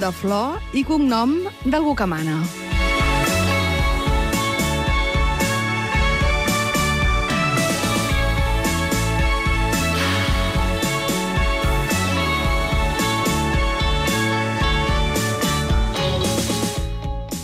de flor i cognom d'algú que mana.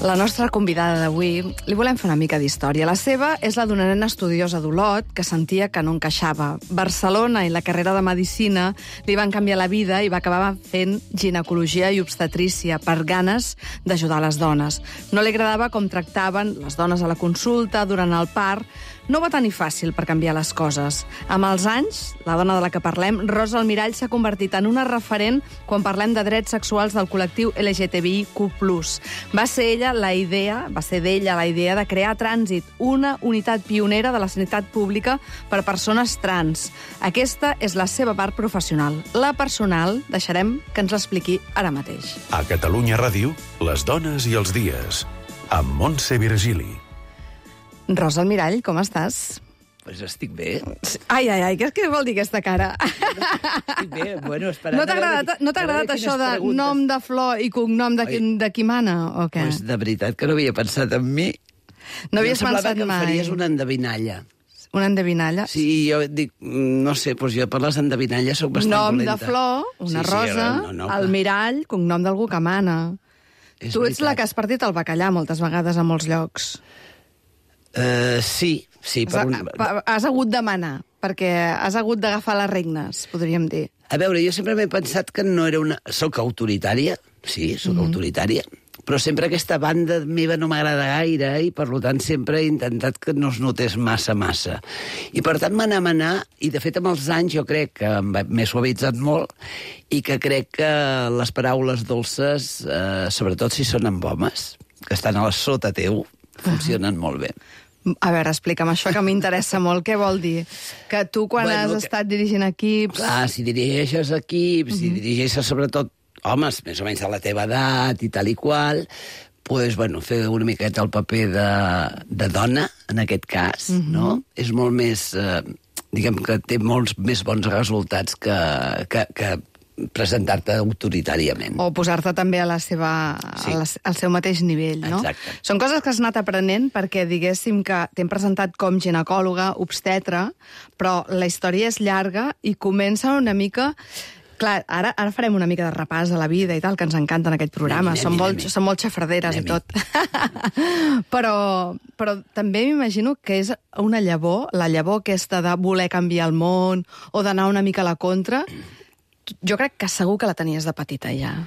La nostra convidada d'avui li volem fer una mica d'història. La seva és la d'una nena estudiosa d'Olot que sentia que no encaixava. Barcelona i la carrera de Medicina li van canviar la vida i va acabar fent ginecologia i obstetrícia per ganes d'ajudar les dones. No li agradava com tractaven les dones a la consulta, durant el part. No va tenir fàcil per canviar les coses. Amb els anys, la dona de la que parlem, Rosa Almirall, s'ha convertit en una referent quan parlem de drets sexuals del col·lectiu LGTBIQ+. Va ser d'ella la idea de crear Trànsit, una unitat pionera de la sanitat pública per a persones trans. Aquesta és la seva part professional. La personal, deixarem que ens l'expliqui ara mateix. A Catalunya Ràdio, les dones i els dies, amb Montse Virgili. Rosa Almirall, com estàs? Pues estic bé. Ai, què vol dir aquesta cara? Estic bé, bueno, esperant... No t'ha agradat això de nom de flor i cognom de qui mana, o què? Pues de veritat que no havia pensat en mi. No havies pensat mai? Em semblava que em faries una endevinalla. Una endevinalla? Sí, jo dic, no sé, doncs jo per les endevinalles soc bastant dolenta. Nom de flor, una rosa, Almirall, cognom d'algú que mana. Tu ets la que has partit el bacallà moltes vegades a molts llocs. Sí. Has hagut de manar, perquè has hagut d'agafar les regnes, podríem dir. A veure, jo sempre m'he pensat que no era una... Soc autoritària, sí, soc autoritària, però sempre aquesta banda meva no m'agrada gaire i, per tant, sempre he intentat que no es notés massa. I, per tant, manar, i, de fet, amb els anys jo crec que m'he suavitzat molt i que crec que les paraules dolces, sobretot si són amb homes, que estan a la sota teu, funcionen molt bé. A veure, explica'm això, que m'interessa molt. Què vol dir? Que tu, quan has estat dirigint equips... Clar, si dirigeixes equips, si dirigeixes sobretot homes més o menys de la teva edat i tal i qual, pues, bueno, fer una miqueta el paper de dona, en aquest cas, no? És molt més... diguem que té molts més bons resultats que presentar-te autoritàriament. O posar-te també a al seu mateix nivell, no? Exacte. Són coses que has anat aprenent perquè, diguéssim, que t'hem presentat com ginecòloga, obstetra, però la història és llarga i comença una mica... Clar, ara farem una mica de repàs a la vida i tal, que ens encanta en aquest programa. Som molt xafarderes i tot. Però també m'imagino que és una llavor, la llavor aquesta de voler canviar el món o d'anar una mica a la contra. Jo crec que segur que la tenies de petita, ja.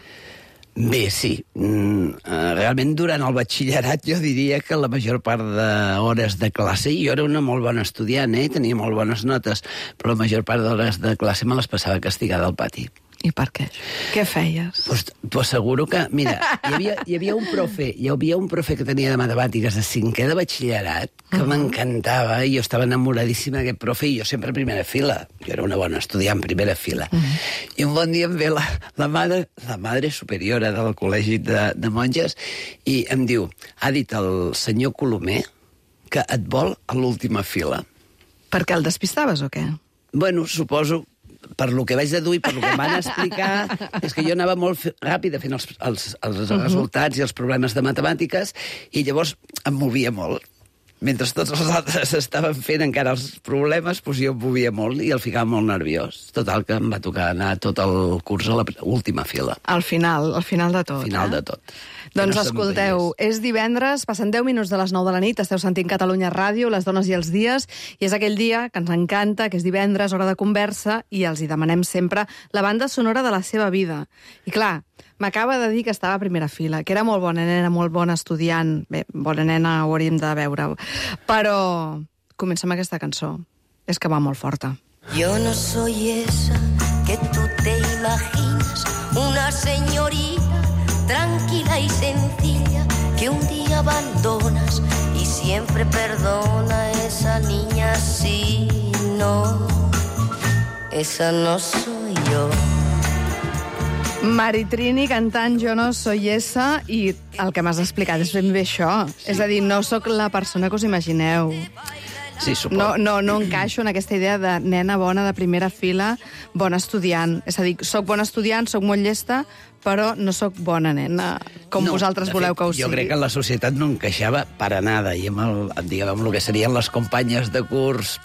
Bé, sí. Realment, durant el batxillerat, jo diria que la major part d'hores de classe, jo era una molt bona estudiant, tenia molt bones notes, però la major part d'hores de classe me les passava castigada al pati. I per què? Què feies? T'ho asseguro que, mira, hi havia un profe que tenia de matemàtiques de 5è de batxillerat, que m'encantava, i jo estava enamoradíssima d'aquest profe, i jo sempre a primera fila. Jo era una bona estudiant, primera fila. I un bon dia em ve la madre superiora del col·legi de monges, i em diu, ha dit el senyor Colomer que et vol a l'última fila. Perquè el despistaves o què? Bueno, suposo... Per lo que vaig deduir, per lo que em van explicar, és que jo anava molt ràpida fent els resultats i els problemes de matemàtiques, i llavors em movia molt. Mentre tots els altres estaven fent encara els problemes, doncs jo em movia molt i el ficava molt nerviós. Total, que em va tocar anar tot el curs a l'última fila. Al final de tot. Al final de tot. Doncs escolteu, és divendres, passen 10 minuts de les 9 de la nit, esteu sentint Catalunya Ràdio, les dones i els dies, i és aquell dia que ens encanta, que és divendres, hora de conversa, i els hi demanem sempre la banda sonora de la seva vida. I clar, m'acaba de dir que estava a primera fila, que era molt bona nena, molt bona estudiant. Bé, bona nena ho hauríem de veure. Però comença amb aquesta cançó. És que va molt forta. Yo no soy esa que tú te imaginas, una señorita tranquila y sencilla que un día abandonas y siempre perdona. Esa niña sí, no, esa no soy yo. Maritrini cantant Jo no soy esa, i el que m'has explicat és ben bé això. Sí. És a dir, no sóc la persona que us imagineu. Sí, suposo. No encaixo en aquesta idea de nena bona de primera fila, bona estudiant. És a dir, soc bona estudiant, soc molt llesta, però no sóc bona nena, com vosaltres voleu que ho sigui. Jo crec que la societat no encaixava per a nada, i amb el que serien les companyes de curs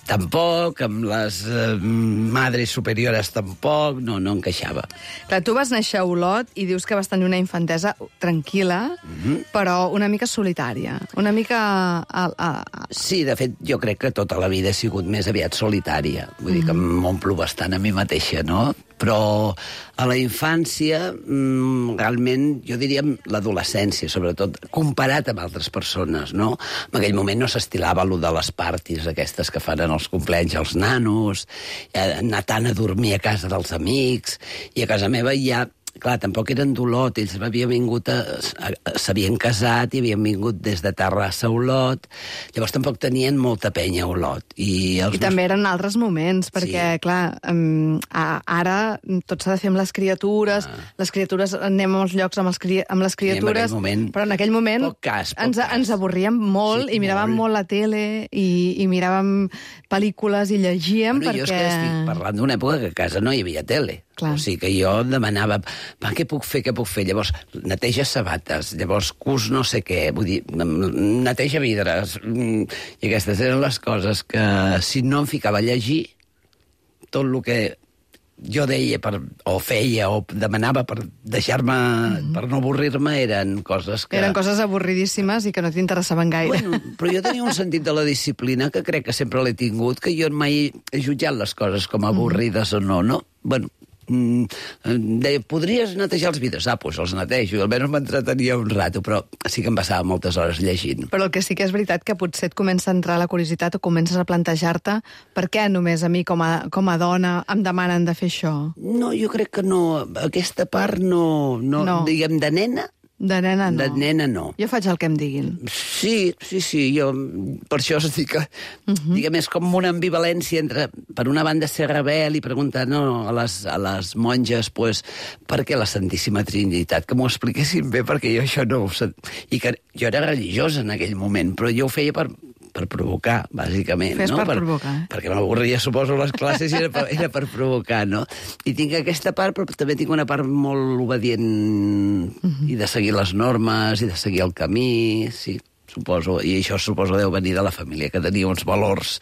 tampoc, amb les madres superiores tampoc, no encaixava. Clar, tu vas néixer a Olot i dius que vas tenir una infantesa tranquil·la, però una mica solitària, una mica... Sí, de fet, jo crec que tota la vida he sigut més aviat solitària. Vull dir que m'omplo bastant a mi mateixa, no? Però a la infància, realment, jo diria l'adolescència, sobretot, comparat amb altres persones, no? En aquell moment no s'estilava allò de les parties aquestes que fan en els compleanys als nanos, anar tant a dormir a casa dels amics, i a casa meva ja... Clar, tampoc eren d'Olot, ells havien vingut, s'havien casat i havien vingut des de Terrassa a Olot, llavors tampoc tenien molta penya a Olot. I també eren altres moments, perquè, clar, ara tot s'ha de fer amb les criatures anem a molts llocs amb les criatures, però en aquell moment ens avorríem molt i miràvem molt la tele i miràvem pel·lícules i llegíem, perquè... Jo és que estic parlant d'una època que a casa no hi havia tele. Clar. O sigui que jo demanava, què puc fer? Llavors, neteja sabates, llavors cus no sé què, vull dir, neteja vidres, i aquestes eren les coses que, si no em ficava a llegir, tot el que jo deia o feia o demanava per deixar-me, per no avorrir-me, eren coses que... Eren coses avorridíssimes i que no t'interessaven gaire. Bueno, però jo tenia un sentit de la disciplina que crec que sempre l'he tingut, que jo mai he jutjat les coses com avorrides o no, no? Bueno, deia, podries netejar els vidres? Doncs els netejo, almenys m'entretenia un rato, però sí que em passava moltes hores llegint. Però el que sí que és veritat que potser et comença a entrar la curiositat o comences a plantejar-te per què només a mi com a dona em demanen de fer això? No, jo crec que no, aquesta part no. Diguem, de nena. De nena no. De nena no. Jo faig el que em diguin. Sí, jo per això us dic que, diguem, és com una ambivalència entre, per una banda, ser rebel i preguntar a les monges, pues, per què la Santíssima Trinitat? Que m'ho expliquessin bé, perquè jo això no ho sé. I que jo era religiosa en aquell moment, però jo ho feia per provocar, bàsicament. Fes per provocar. Perquè m'avorria, suposo, les classes i era per provocar, no? I tinc aquesta part, però també tinc una part molt obedient i de seguir les normes i de seguir el camí, sí, suposo. I això suposo deu venir de la família, que tenia uns valors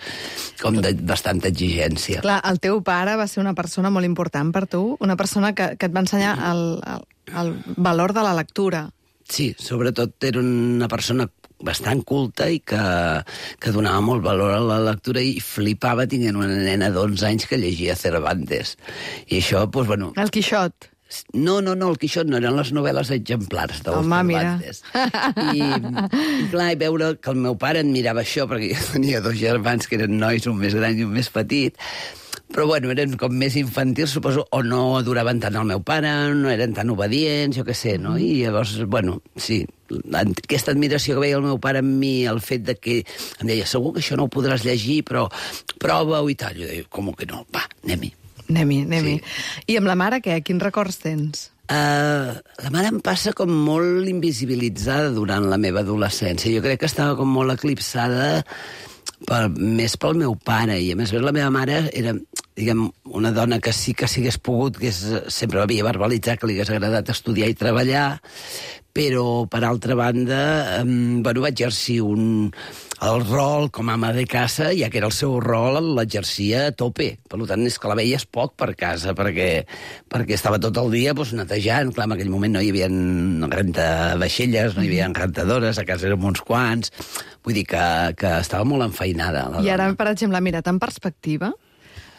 com de bastanta exigència. Clar, el teu pare va ser una persona molt important per tu, una persona que et va ensenyar el valor de la lectura. Sí, sobretot era una persona bastant culta i que donava molt valor a la lectura i flipava tinguent una nena d'11 anys que llegia Cervantes. I això, doncs, bueno... El Quixot. No, el Quixot no, eren les novel·les exemplars del Cervantes. I clar, i veure que el meu pare en mirava això, perquè jo tenia 2 germans que eren nois, un més gran i un més petit, però bueno, eren com més infantils, suposo, o no adoraven tant el meu pare, no eren tan obedients, jo què sé, no? I llavors, bueno, sí, aquesta admiració que veia el meu pare en mi, el fet de que em deia, segur que això no ho podràs llegir, però prova-ho i tal. Jo deia, com que no? Va, anem-hi. Anem-hi. I amb la mare, què? Quins records tens? La mare em passa com molt invisibilitzada durant la meva adolescència. Jo crec que estava com molt eclipsada més pel meu pare, i a més la meva mare era, diguem, una dona que sí que s'hagués pogut, que sempre havia verbalitzat que li hagués agradat estudiar i treballar, però, per altra banda, va exercir el rol com a ama de casa, ja que era el seu rol, l'exercia a tope. Per tant, és que la veies poc per casa, perquè estava tot el dia netejant. Clar, en aquell moment no hi havia rentavaixelles, no hi havia rentadores, a casa érem uns quants. Vull dir que estava molt enfeinada. I ara, per exemple, mirat en perspectiva,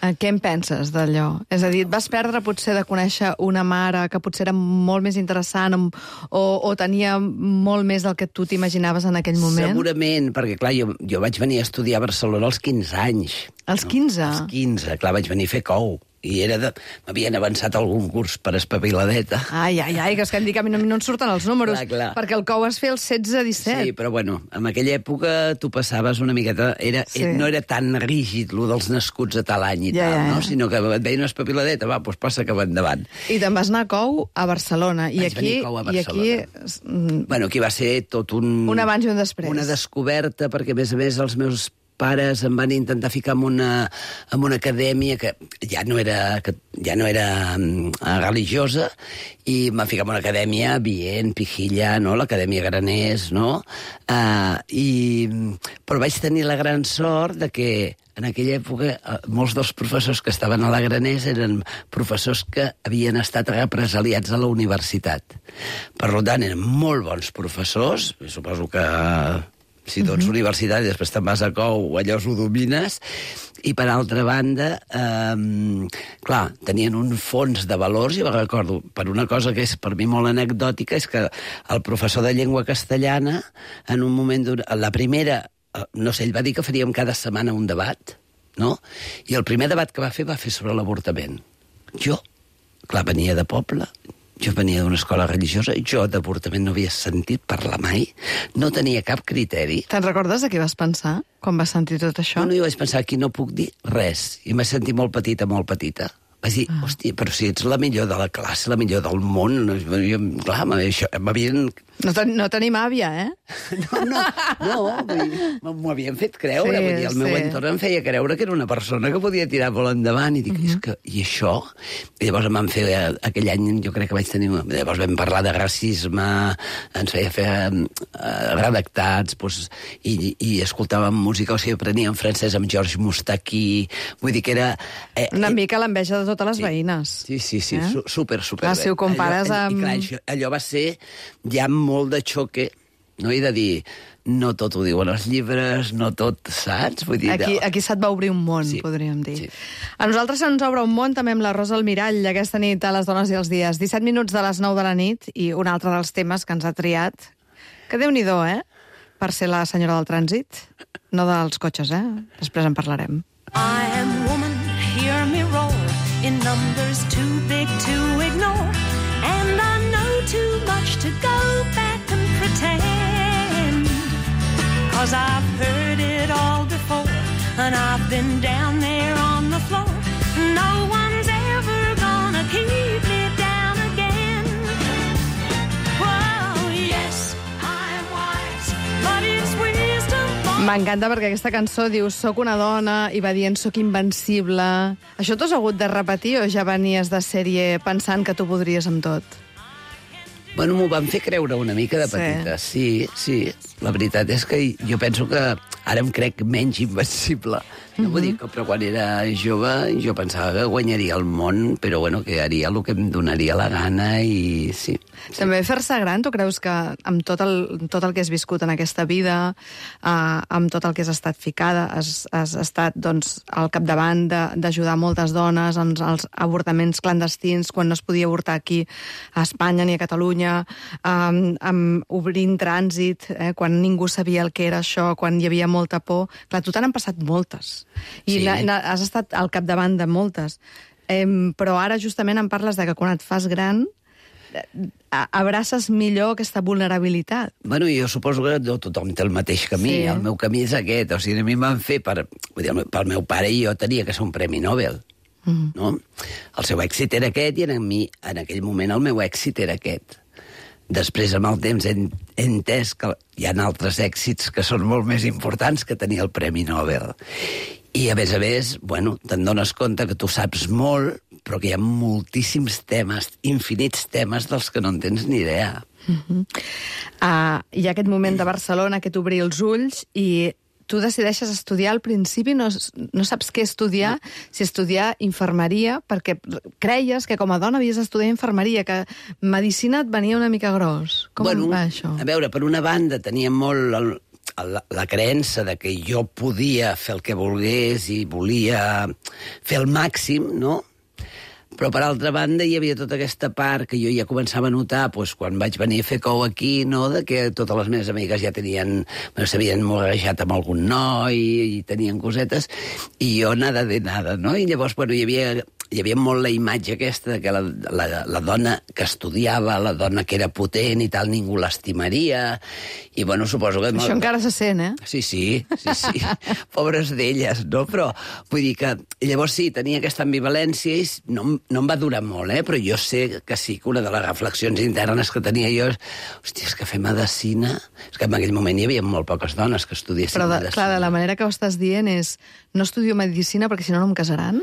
què en penses d'allò? És a dir, et vas perdre potser de conèixer una mare que potser era molt més interessant o tenia molt més del que tu t'imaginaves en aquell moment? Segurament, perquè clar, jo vaig venir a estudiar a Barcelona als 15 anys. Als 15? Als 15, clar, vaig venir a fer cou. I m'havien avançat algun curs per espaviladeta. Ai, que és que em dic, a mi no en surten els números, clar. Perquè el cou es feia els 16-17. Sí, però bueno, en aquella època tu passaves una miqueta... No era tan rígid, lo dels nascuts a tal any i tal, no? Sinó que et veien una espaviladeta, doncs passa cap endavant. I te'n vas anar a cou a Barcelona. Vaig venir a cou a Barcelona. Bueno, aquí va ser tot un... Un abans i un després. Una descoberta, perquè a més els meus pares em van intentar ficar en una acadèmia que ja no era religiosa, i em van ficar en una acadèmia Vient, Pijilla, no? L'Acadèmia Graners, no? Però vaig tenir la gran sort de que en aquella època molts dels professors que estaven a la Graners eren professors que havien estat represaliats a la universitat. Per tant, eren molt bons professors, suposo que si tu ets universitari i després te'n vas a COU, allò ho domines, i per altra banda, clar, tenien un fons de valors, i recordo, per una cosa que és per mi molt anecdòtica, és que el professor de llengua castellana, en un moment, la primera, no sé, ell va dir que faríem cada setmana un debat, no? I el primer debat que va fer sobre l'avortament. Jo, clar, venia de poble, jo venia d'una escola religiosa, i jo d'avortament no havia sentit parlar mai, no tenia cap criteri. Te'n recordes de què vas pensar quan vas sentir tot això? No, jo vaig pensar, aquí no puc dir res, i m'he sentit molt petita, molt petita. Vaig dir, hòstia, però si ets la millor de la classe, la millor del món, clar, m'havien... No tenim àvia, eh? No, m'ho havien fet creure. Sí, vull dir, el meu entorn em feia creure que era una persona que podia tirar molt endavant, i dic, i això? I llavors em van fer, aquell any, jo crec que vaig tenir... Llavors vam parlar de racisme, ens feia fer redactats, i escoltàvem música, o sigui, apreníem francès amb Georges Moustaki, vull dir que era... Una mica l'enveja de totes les veïnes. Sí, super Clar, si ho compares amb... I clar, allò va ser ja molt de xoque, no? I de dir, no tot ho diuen els llibres, no tot, saps? Vull dir, aquí se't va obrir un món, podríem dir. Sí. A nosaltres se'ns obre un món també amb la Rosa Almirall, aquesta nit a Les dones i els dies. 17 minuts de les 9 de la nit, i un altre dels temes que ens ha triat, que Déu-n'hi-do, per ser la senyora del trànsit, no dels cotxes, després en parlarem. I am woman, hear me roar, in numbers too big to ignore, and I know too much to go back and pretend, 'cause I've heard it all before, and I've been down there on the floor. No one's ever gonna keep me down again. Whoa, yes, I'm wise, but it's wisdom. M'encanta perquè aquesta cançó diu soc una dona i va dient soc invencible. Això t'ho has hagut de repetir o ja venies de sèrie pensant que tu podries amb tot? Bueno, m'ho van fer creure una mica de petita. Sí. La veritat és que jo penso que ara em crec menys invencible. No vull dir que, però quan era jove jo pensava que guanyaria el món, però bueno, que haria el que em donaria la gana, i sí. També fer-se gran, tu creus que amb tot el que has viscut en aquesta vida, amb tot el que has estat ficada, has estat doncs, al capdavant d'ajudar moltes dones en els avortaments clandestins, quan no es podia avortar aquí a Espanya ni a Catalunya, obrint trànsit, quan ningú sabia el que era això, quan hi havia molta por. Clar, tu t'han passat moltes. I has estat al capdavant de moltes. Però ara justament em parles de que quan et fas gran abraces millor aquesta vulnerabilitat. Bueno, jo suposo que no tothom té el mateix camí. El meu camí és aquest. O sigui, a mi m'han fet pel meu pare, i jo tenia que ser un premi Nobel. No? El seu èxit era aquest, i en aquell moment el meu èxit era aquest. Després, amb el temps, he entès que hi ha altres èxits que són molt més importants que tenir el Premi Nobel. I, a més, bueno, te'n dones compte que tu saps molt, però que hi ha moltíssims temes, infinits temes dels que no en tens ni idea. Hi ha aquest moment de Barcelona que t'obri els ulls i tu decideixes estudiar al principi, no saps què estudiar, si estudiar infermeria, perquè creies que com a dona havies d'estudiar infermeria, que medicina et venia una mica gros. Com va això? A veure, per una banda tenia molt la creença de que jo podia fer el que volgués i volia fer el màxim, no? Però, per altra banda, hi havia tota aquesta part que jo ja començava a notar quan vaig venir a fer COU aquí, no?, de que totes les meves amigues ja s'havien morejat amb algun noi i tenien cosetes, i jo nada de nada, no? I llavors, hi havia molt la imatge aquesta de que la dona que estudiava, la dona que era potent i tal, ningú l'estimaria, i bueno, suposo que... Això encara se sent, eh? Sí. Pobres d'elles, no? Però vull dir que llavors sí, tenia aquesta ambivalència i no em va durar molt, però jo sé que sí que una de les reflexions internes que tenia jo és, hòstia, és que fer medicina... És que en aquell moment hi havia molt poques dones que estudiessin medicina. Però, clar, de la manera que ho estàs dient és no estudio medicina perquè si no em casaran?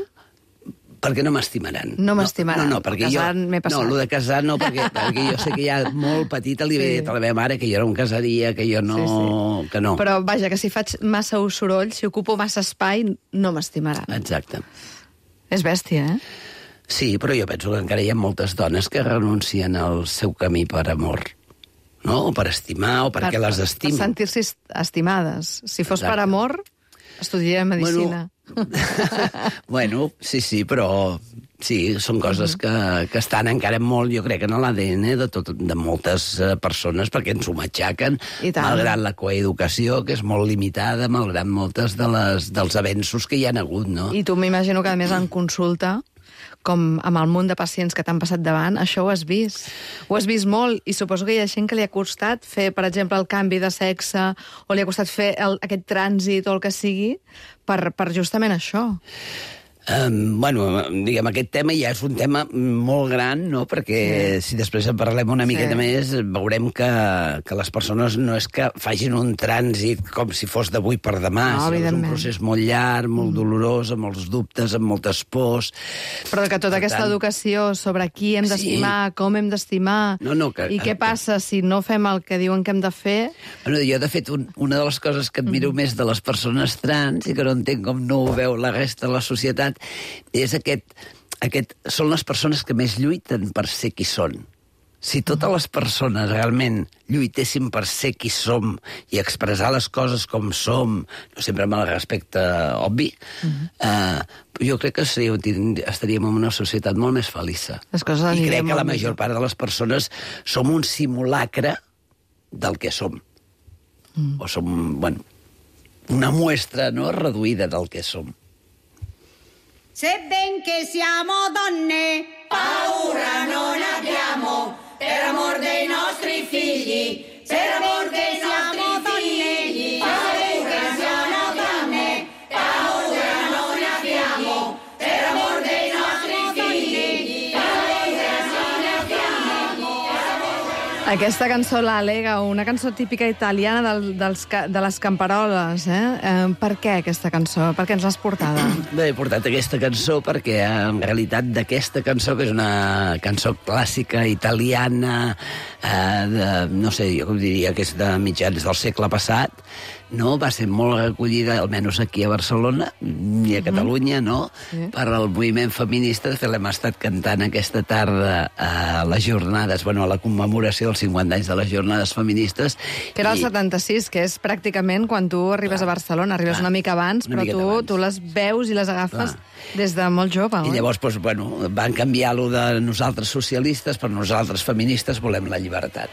Perquè no m'estimaran. No m'estimaran. No, perquè casar m'he passat. No, el de casar no, perquè jo sé que ja molt petita li havia dit a la meva mare que jo no em casaria, que jo no... Sí. Que no. Però, vaja, que si faig massa soroll, si ocupo massa espai, no m'estimaran. Exacte. És bèstia, eh? Sí, però jo penso que encara hi ha moltes dones que renuncien al seu camí per amor. No? O per estimar, o perquè les estimen. Per sentir-se estimades. Si fos Exacte. per amor, estudiaria medicina. Bueno, sí, però sí, són coses que estan encara molt, jo crec, en l'ADN de moltes persones, perquè ens ho matxaquen, malgrat la coeducació, que és molt limitada, malgrat moltes dels avenços que hi ha hagut, no? I tu m'imagino que, a més, en consulta, com amb el munt de pacients que t'han passat davant, això ho has vist. Ho has vist molt, i suposo que hi ha gent que li ha costat fer, per exemple, el canvi de sexe, o li ha costat fer aquest trànsit o el que sigui, per justament això. Bueno, diguem, aquest tema ja és un tema molt gran, no? Perquè si després en parlem una miqueta més, veurem que les persones no és que facin un trànsit com si fos d'avui per demà, sinó és un procés molt llarg, molt dolorós, amb molts dubtes, amb moltes pors. Però que tota aquesta educació sobre qui hem d'estimar, com hem d'estimar, i què passa si no fem el que diuen que hem de fer... Bueno, jo, de fet, una de les coses que admiro més de les persones trans, i que no entenc com no ho veu la resta de la societat, és són les persones que més lluiten per ser qui són. Si totes les persones realment lluitessin per ser qui som i expressar les coses com som, no sempre amb el respecte obvi, jo crec que estaríem en una societat molt més feliç. I crec que la major part de les persones som un simulacre del que som. O som, bueno, una muestra, no?, reduïda del que som. Sebbene siamo donne, paura non abbiamo, per amor dei nostri figli, per amor dei nostri figli. Paura siamo donne, paura non abbiamo, per amor dei nostri figli, paura non abbiamo. Aquesta cançó, l'Alega, una cançó típica italiana de les camperoles, Per què aquesta cançó? Per què ens l'has portada? Bé, he portat aquesta cançó perquè, en realitat, d'aquesta cançó, que és una cançó clàssica italiana, no sé, jo com diria que és de mitjans del segle passat, no? Va ser molt recollida, almenys aquí a Barcelona i a Catalunya, no? Per al moviment feminista. De fet, l'hem estat cantant aquesta tarda a les jornades, bueno, a la commemoració dels 50 anys de les jornades feministes. Que era el 76, que és pràcticament quan tu arribes a Barcelona, arribes una mica abans, però tu les veus i les agafes des de molt jove. I llavors, bueno, van canviar-lo de nosaltres socialistes per nosaltres feministes volem la llibertat.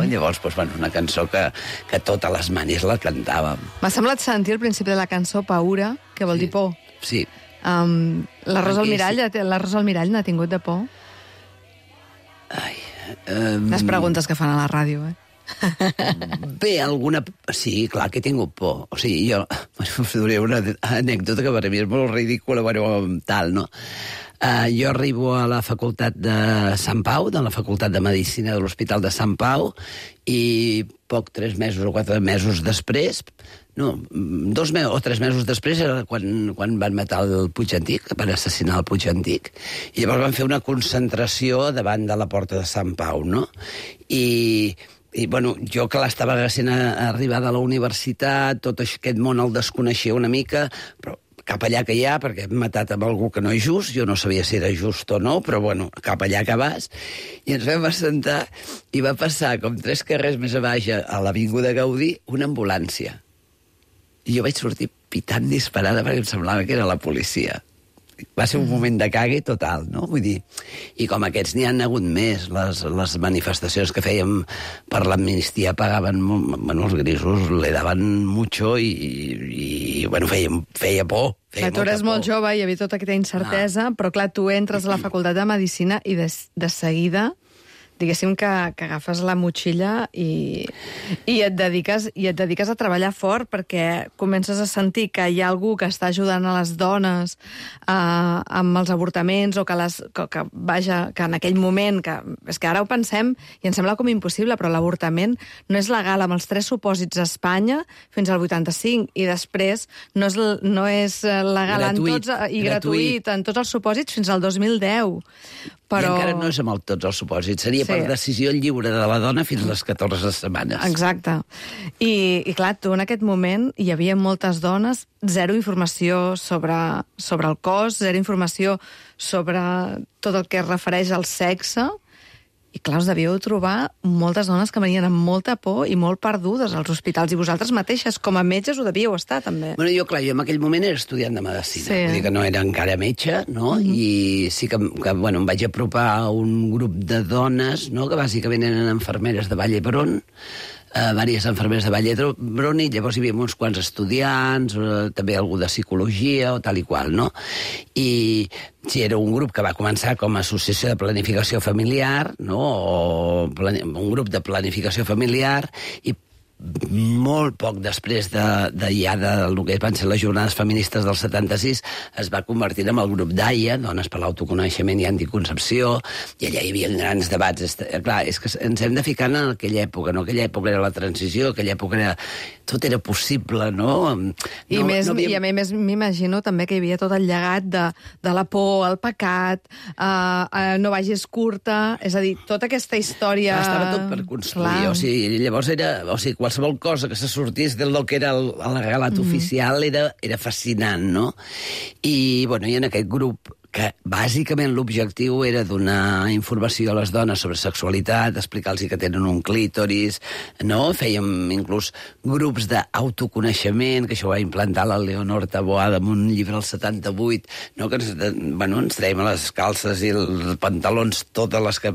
Llavors, bueno, una cançó que totes les manis la cantàvem. M'ha semblat sentir al principi de la cançó Paura, que vol dir por. Sí. La Rosa Almirall n'ha tingut de por? Les preguntes que fan a la ràdio, Bé, sí, clar que he tingut por. O sigui, jo us diré una anècdota que per a mi és molt ridícula, tal, no? Jo arribo a la facultat de Sant Pau, de la facultat de Medicina de l'Hospital de Sant Pau, i 3 mesos o 4 mesos després, 2 o 3 mesos després era quan van matar el Puig Antic, van assassinar el Puig Antic, i llavors van fer una concentració davant de la porta de Sant Pau, no? I bueno, jo que l'estava recent arribada a la universitat, tot aquest món el desconeixia una mica, però cap allà que hi ha, perquè hem matat amb algú que no és just, jo no sabia si era just o no, però bueno, cap allà que vas, i ens vam assentar, i va passar, com 3 carrers més a baix, a l'Avinguda Gaudí, una ambulància. I jo vaig sortir pitant disparada perquè em semblava que era la policia. Va ser un moment de cague total, no? Vull dir, i com aquests n'hi han hagut més, les manifestacions que fèiem per l'amnistia pagaven, bueno, els grisos le daven mucho i bueno, feia por. Tu eres molt jove i hi havia tota aquesta incertesa, però clar, tu entres a la facultat de Medicina i de seguida diguéssim que agafes la motxilla i et dediques a treballar fort, perquè comences a sentir que hi ha algú que està ajudant a les dones amb els avortaments, o que en aquell moment, és que ara ho pensem i ens sembla com impossible, però l'avortament no és legal amb els 3 supòsits a Espanya fins al 85, i després no és legal gratuït en tots els supòsits fins al 2010. Però... I encara no és amb tots els supòsits. Seria per decisió lliure de la dona fins a les 14 setmanes. Exacte. I clar, tu en aquest moment hi havia moltes dones, zero informació sobre el cos, zero informació sobre tot el que es refereix al sexe. I clar, us devíeu trobar moltes dones que venien amb molta por i molt perdudes als hospitals, i vosaltres mateixes, com a metges, ho devíeu estar, també. Bueno, jo en aquell moment era estudiant de medicina, vull dir que no era encara metge, no? I sí que em vaig apropar a un grup de dones, no?, que bàsicament eren infermeres de Vall d'Hebron, diverses infermeres de Vall d'Hebron, i llavors hi havia uns quants estudiants, també algú de psicologia o tal i qual, no? I sí, era un grup que va començar com a associació de planificació familiar, no?, o un grup de planificació familiar, i molt poc després del que van ser les jornades feministes del 76, es va convertir en el grup d'AIA, Dones per l'Autoconeixement i Anticoncepció, i allà hi havia grans debats. Clar, és que ens hem de ficar en aquella època, no? Aquella època era la transició, aquella època era... Tot era possible, no? I a més m'imagino també que hi havia tot el llegat de la por, el pecat, no vagis curta, és a dir, tota aquesta història... Estava tot per construir, o sigui, llavors era... O sigui, qualsevol cosa que se sortís del que era el relat oficial era fascinant, no? I, bueno, i en aquest grup, que bàsicament l'objectiu era donar informació a les dones sobre sexualitat, explicar-los que tenen un clítoris, no? Fèiem inclús grups d'autoconeixement, que això ho va implantar la Leonor Taboada en un llibre al 78, no? Que ens traiem a les calces i els pantalons totes les que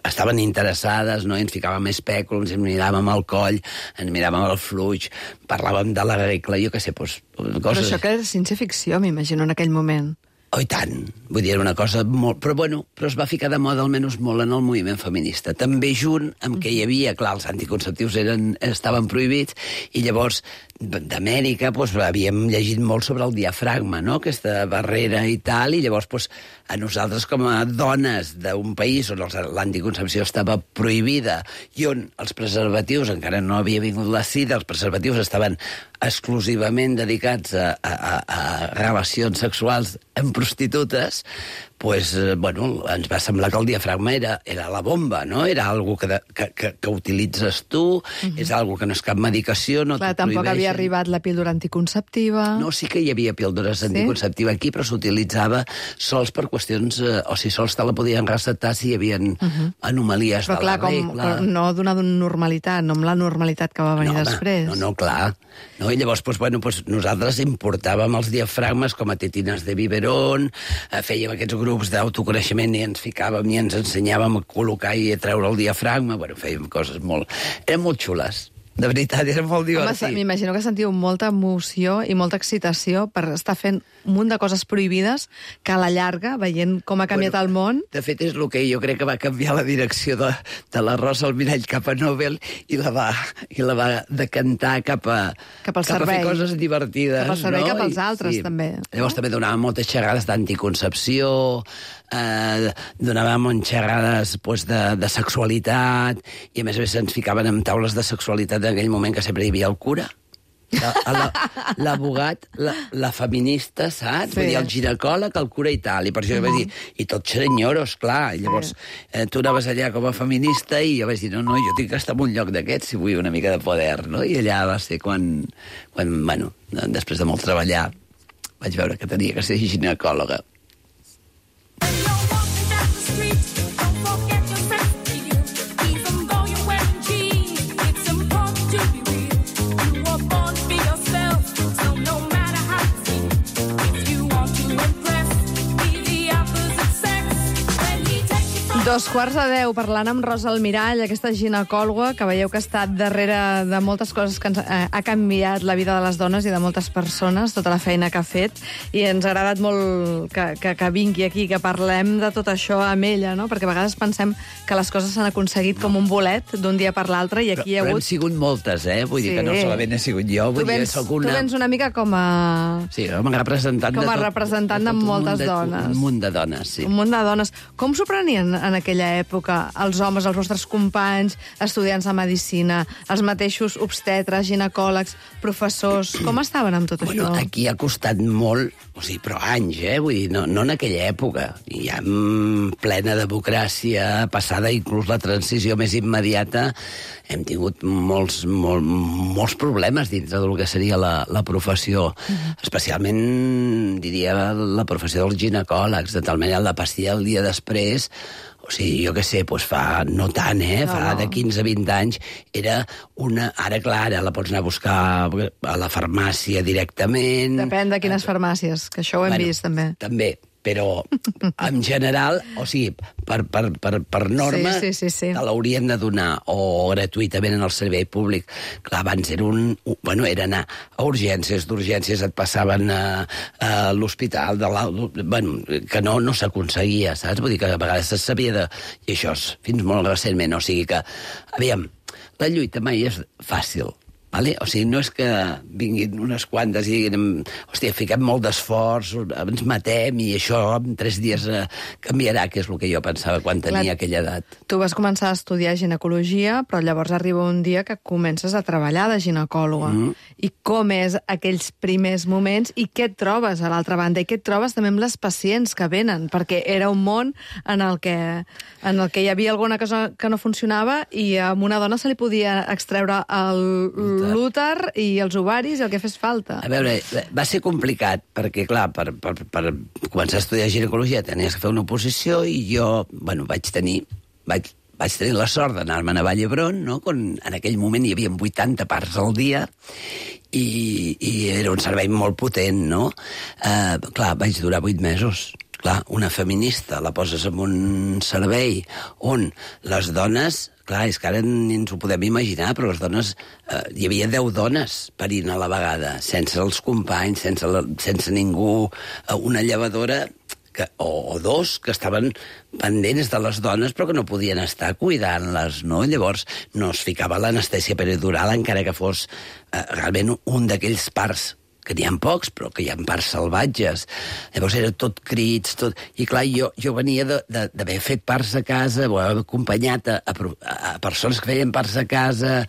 estaven interessades, no? I ens ficàvem espèculums, ens miràvem al coll, ens miràvem al fluix, parlàvem de la regla, jo què sé, doncs... Però això que era ciència-ficció, m'imagino, en aquell moment. Oh, i tant. Vull dir, era una cosa molt... Però es va ficar de moda almenys molt en el moviment feminista. També junt amb que hi havia, clar, els anticonceptius estaven prohibits, i llavors d'Amèrica havíem llegit molt sobre el diafragma, no?, aquesta barrera i tal, i llavors a nosaltres com a dones d'un país on l'anticoncepció estava prohibida i on els preservatius, encara no havia vingut la sida, els preservatius estaven exclusivament dedicats a relacions sexuals amb prostitutes, ens va semblar que el diafragma era la bomba, no? Era algo que utilitzes tu, és algo que no és cap medicació, no t'ho prohibeixen. Tampoc havia arribat la píldora anticonceptiva. No, sí que hi havia píldores anticonceptives aquí, però s'utilitzava sols per qüestions... O sigui, sols te la podien recetar si hi havia anomalies de la regla. Però no donar normalitat, no amb la normalitat que va venir després. No, clar. No? I llavors, nosaltres importàvem els diafragmes com a tetines de biberón, fèiem aquests grups d'autoconeixement i ens ficàvem i ens ensenyàvem a col·locar i a treure el diafragma. Fèiem coses molt... Eren molt xules. De veritat, era molt divertit. Home, m'imagino que sentiu molta emoció i molta excitació per estar fent un munt de coses prohibides que a la llarga, veient com ha canviat el món... De fet, és el que jo crec que va canviar la direcció de la Rosa Almirall cap a Nobel i la va decantar cap a fer coses divertides. Cap al servei, cap als altres, també. Llavors també donàvem moltes xerrades d'anticoncepció, donàvem xerrades de sexualitat, i a més ens ficaven en taules de sexualitat en aquell moment que sempre hi havia el cura, l'abogat, la feminista, saps? Vull dir, el ginecòleg, el cura i tal, i per això vaig dir, i tots senyoros, clar, i llavors tu anaves allà com a feminista i jo vaig dir, no, jo tinc que estar en un lloc d'aquests si vull una mica de poder, no? I allà va ser quan després de molt treballar, vaig veure que tenia que ser ginecòloga. 2:15, parlant amb Rosa Almirall, aquesta ginecòloga que veieu que ha estat darrere de moltes coses que ha canviat la vida de les dones i de moltes persones, tota la feina que ha fet, i ens ha agradat molt que vingui aquí, que parlem de tot això amb ella, no? Perquè a vegades pensem que les coses s'han aconseguit com un bolet d'un dia per l'altre, i aquí hi ha hagut... Però hem sigut moltes, Vull dir que no solament he sigut jo. Tu vens una mica com a... Sí, com a representant de moltes dones. Un munt de dones, sí. Un munt de dones. Com s'ho prenien en aquella època els homes, els vostres companys, estudiants de medicina, els mateixos obstetres, ginecòlegs, professors? Com estaven amb tot això? Aquí ha costat molt, però anys, Vull dir, no en aquella època. Ja plena democràcia, passada inclús la transició més immediata, hem tingut molts problemes dintre del que seria la professió. Especialment, diria, la professió dels ginecòlegs, de tal manera la pastilla el dia després. Jo què sé, fa no tant, fa de 15 a 20 anys, era una... Ara, clar, la pots anar a buscar a la farmàcia directament... Depèn de quines farmàcies, que això ho hem vist, també. També, però en general, per norma, sí. te l'haurien de donar o gratuïtament en el servei públic. Clar, abans era anar a urgències, d'urgències et passaven a l'hospital, que no s'aconseguia, saps? Vull dir que a vegades se sabia de... I això és fins molt recentment, o sigui que... Aviam, la lluita mai és fàcil. No és que vinguin unes quantes i diguin, fiquem molt d'esforç, ens matem i això en 3 dies canviarà, que és el que jo pensava quan tenia aquella edat. Tu vas començar a estudiar ginecologia, però llavors arriba un dia que comences a treballar de ginecòloga. I com és aquells primers moments i què et trobes a l'altra banda? I què et trobes també amb les pacients que venen? Perquè era un món en el que hi havia alguna cosa que no funcionava i a una dona se li podia extreure l'úter i els ovaris i el que fes falta. A veure, va ser complicat, perquè, clar, per començar a estudiar ginecologia tenies que fer una oposició i jo, vaig tenir la sort d'anar-me'n a Vall d'Hebron, no? En aquell moment hi havia 80 parts al dia i era un servei molt potent, no? Clar, vaig durar 8 mesos. Clar, una feminista la poses en un servei on les dones... Clar, és que ara ni ens ho podem imaginar, però les dones... hi havia 10 dones parint a la vegada, sense els companys, sense ningú, una llevadora o 2 que estaven pendents de les dones però que no podien estar cuidant-les, no? Llavors no es ficava l'anestèsia peridural encara que fos realment un d'aquells parts que n'hi ha pocs, però que hi ha parts salvatges. Llavors era tot crits, tot... I clar, jo venia d'haver fet parts a casa, o haver acompanyat a persones que feien parts a casa,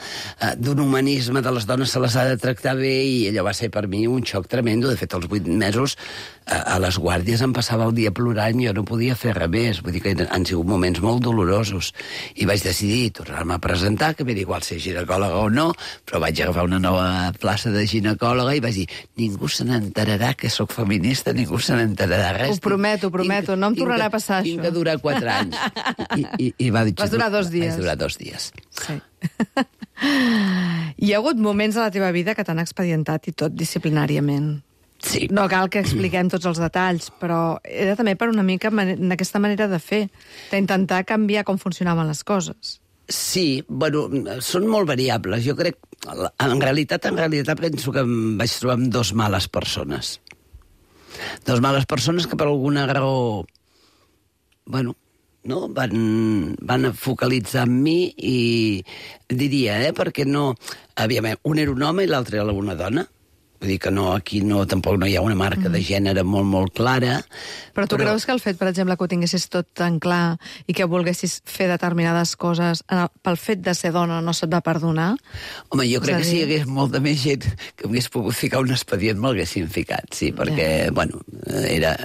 d'un humanisme de les dones se les ha de tractar bé, i allò va ser per mi un xoc tremendo. De fet, als 8 mesos a les guàrdies em passava el dia plorant i jo no podia fer res més. Vull dir que han sigut moments molt dolorosos. I vaig decidir tornar-me a presentar, que m'era igual ser ginecòloga o no, però vaig agafar una nova plaça de ginecòloga i vaig dir, ningú se n'enterarà que sóc feminista, ningú se n'enterarà res. Ho prometo, no em tornarà a passar això. Tinc que durar 4 anys. I va dir... Vas durar 2 dies. Vaig durar 2 dies. Sí. Hi ha hagut moments a la teva vida que t'han expedientat i tot disciplinàriament. Sí. No cal que expliquem tots els detalls, però era també per una mica en aquesta manera de fer, d'intentar canviar com funcionaven les coses. Sí, són molt variables. Jo crec, en realitat penso que em vaig trobar amb 2 males persones. 2 males persones que per alguna raó, no, van focalitzar en mi i diria, perquè no... Un era un home i l'altre era una dona. Vull dir que aquí tampoc no hi ha una marca de gènere molt, molt clara. Però tu creus que el fet, per exemple, que ho tinguessis tot tan clar i que volguessis fer determinades coses pel fet de ser dona no se't va perdonar? Home, jo crec que si hi hagués molta més gent que m'hagués pogut ficar un expedient m'haguessin ficat, sí, perquè,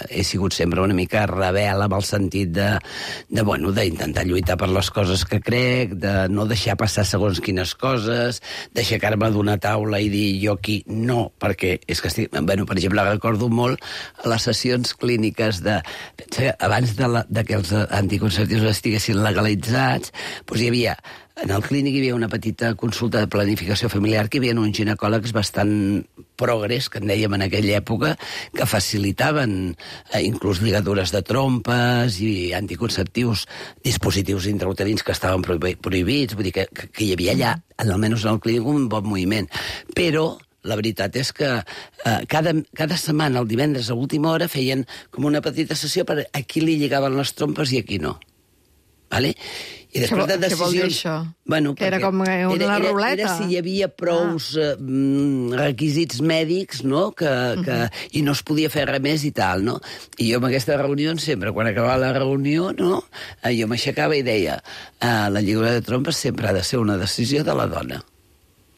he sigut sempre una mica rebel amb el sentit d'intentar lluitar per les coses que crec, de no deixar passar segons quines coses, d'aixecar-me d'una taula i dir jo aquí no perquè és que bueno, per exemple, recordo molt les sessions clíniques abans de que els anticonceptius estiguessin legalitzats, doncs hi havia, en el clínic hi havia una petita consulta de planificació familiar que hi havia uns ginecòlegs bastant progres, que en dèiem en aquella època, que facilitaven inclús lligadures de trompes i anticonceptius, dispositius intrauterins que estaven prohibits, vull dir que hi havia allà, almenys en el clínic, un bon moviment. Però la veritat és que cada setmana, el divendres a última hora, feien com una petita sessió per a qui li lligaven les trompes i a qui no. Vale? I després de decisions... Què vol dir això? Bueno, que era com una ruleta? Era si hi havia prous requisits mèdics, no? I no es podia fer res més i tal, no? I jo en aquestes reunions sempre, quan acabava la reunió, no? Jo m'aixecava i deia la lligadura de trompes sempre ha de ser una decisió de la dona.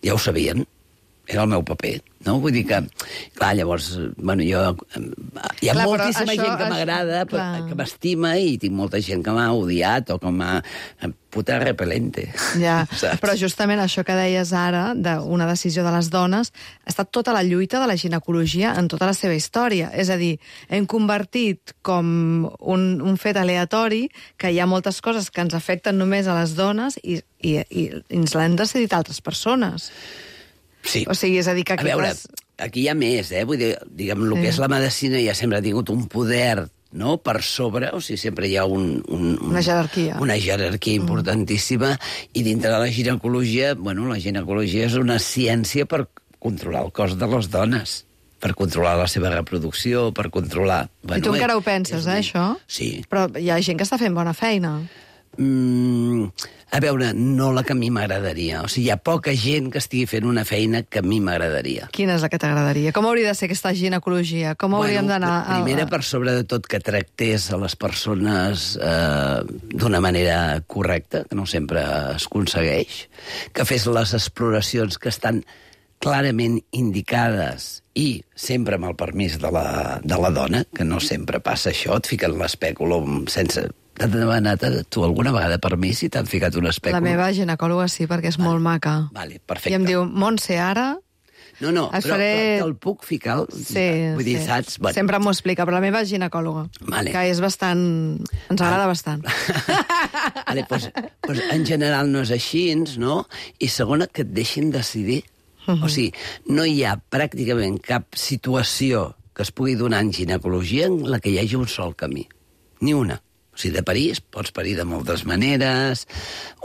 Ja ho sabien. Era el meu paper, no? Vull dir que, clar, llavors, bueno, jo... Hi ha moltíssima gent que m'agrada, que m'estima, i tinc molta gent que m'ha odiat o que m'ha... puta repelente. Ja, però justament això que deies ara, d'una decisió de les dones, ha estat tota la lluita de la ginecologia en tota la seva història. És a dir, hem convertit com un fet aleatori que hi ha moltes coses que ens afecten només a les dones i ens l'han decidit altres persones. Sí. O sigui, és a dir, que aquí... A veure, aquí hi ha més, Vull dir, diguem, el que és la medicina ja sempre ha tingut un poder, no?, per sobre, o sigui, sempre hi ha una jerarquia. Una jerarquia importantíssima, i dintre de la ginecologia, bueno, la ginecologia és una ciència per controlar el cos de les dones, per controlar la seva reproducció, per controlar... Bueno, I tu encara ho penses, això? Sí. Però hi ha gent que està fent bona feina. A veure, no la que a mi m'agradaria. O sigui, hi ha poca gent que estigui fent una feina que a mi m'agradaria. Quina és la que t'agradaria? Com hauria de ser aquesta ginecologia? Com hauríem d'anar... Primera, per sobre de tot, que tractés a les persones d'una manera correcta, que no sempre es aconsegueix, que fes les exploracions que estan clarament indicades i sempre amb el permís de la dona, que no sempre passa això, et fiquen l'espèculum sense... T'han demanat tu alguna vegada permís i t'han ficat un espèculum? La meva ginecòloga sí, perquè és molt maca. Vale, perfecte. I em diu, Montse, ara... No, però te'l puc ficar? Sí, vull dir, saps? Bueno. Sempre m'ho explica, però la meva ginecòloga, que és bastant... Ens agrada bastant. Vale, doncs, en general no és així, no? I segona, que et deixin decidir. O sigui, no hi ha pràcticament cap situació que es pugui donar en ginecologia en la que hi hagi un sol camí. Ni una. O sigui, de parir pots parir de moltes maneres,